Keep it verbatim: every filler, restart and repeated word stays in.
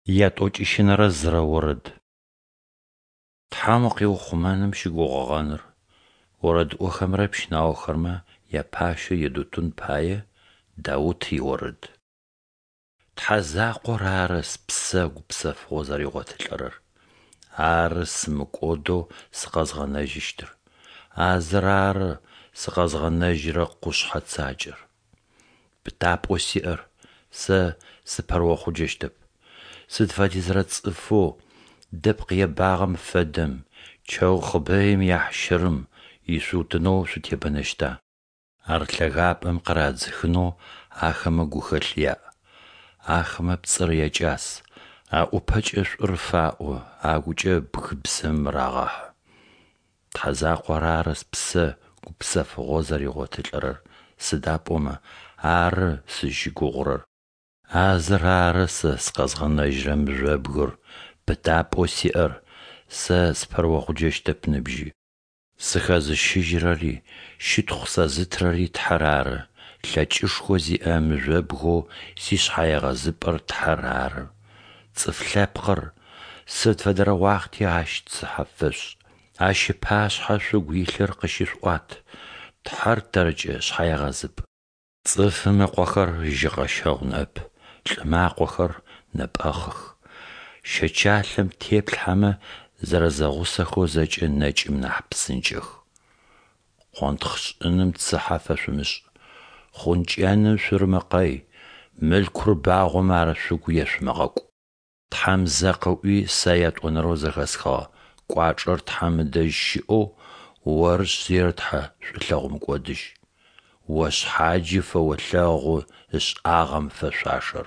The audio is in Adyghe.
Ятӏокӏищынэрэ зырэ орэд. Тхьэм укъиухъумэным щыгугъыгъэныр. Орэдыӏохэмрэ пщынаохэмрэ япащэу Едутун пае Даут иорэд. Тхьэ закъор ары спсэ гупсэфыгъо зэригъотылӏэрэр, Ары сымыкӏодэу сыкъэзгъэнэжьыщтыр, а зыр ары сыкъэзгъэнэжьырэ къушъхьэ цакӏэр. Пытапӏэу сиӏэр, сэ сыпэрыохъуджэщтэп. Сыд фэдизрэ цӏыфэу дэпкъ ебагъэм фэдэм, чэу хъыбэим яхьщырым, ишъуутынэу шъутебэнэщта? Ар лъэгапӏэм къырадзыхынэу ахэмэ гухэлъ яӏ. Ахэмэ пцӏыр якӏас, аӏупэкӏэ шӏур фаӏо, агукӏэ бгыбзэм рагъэхьы. Тхьэ закъор ары спсэ гупсэфыгъо зэригъотылӏэрэр, сыда пӏомэ Ары сызщыгугъырэр. А зыр ары сэ сыкъэзгъэнэжьырэ мыжъобгыр, пытапӏэу сиӏэр, сэ сыпэрыохъуджэщтэп ныбжьи. Сыхэзыщыжьырэри, щытхъу сэзытырэри Тхьэр ары, лъэкӏышхо зиӏэ мыжъобгэу сишъхьэегъэзыпӏэр Тхьэр ары. Цӏыф лъэпкъыр, сыд фэдэрэ уахъти Ащ цыхьэ фэшъушӏ, Ащ ыпашъхьэ шъугу илъыр къыщышъуӏуат, Тхьэр тэркӏэ шъхьэегъэзыпӏ. Цӏыфым ыкъохэр жьыкъэщэгъу ныӏэп, лӏымэ акъохэр нэпӏэхъых. Щэчалъэм теплъхьэмэ, зэрэзэгъусэхэу зэкӏэ нэкӏым нахь псынкӏэх. Къонтхъ шӏыным цыхьэ фэшъумышӏ, хъункӏэным шъурымыкъэй, мылъкур багъомэ ар шъугу ешъумыгъэкӏу. Тхьэм зэ къыӏуи, сэ ятӏонэрэу зэхэсхыгъэ: Кӏуачӏэр Тхьэм ыдэжь щыӏэу, Орышъ зиер Тхьэ, шӏулъэгъу мыкӏодыжь. О шъхьаджи фэолъэгъу ышӏагъэм фэшъуашэр.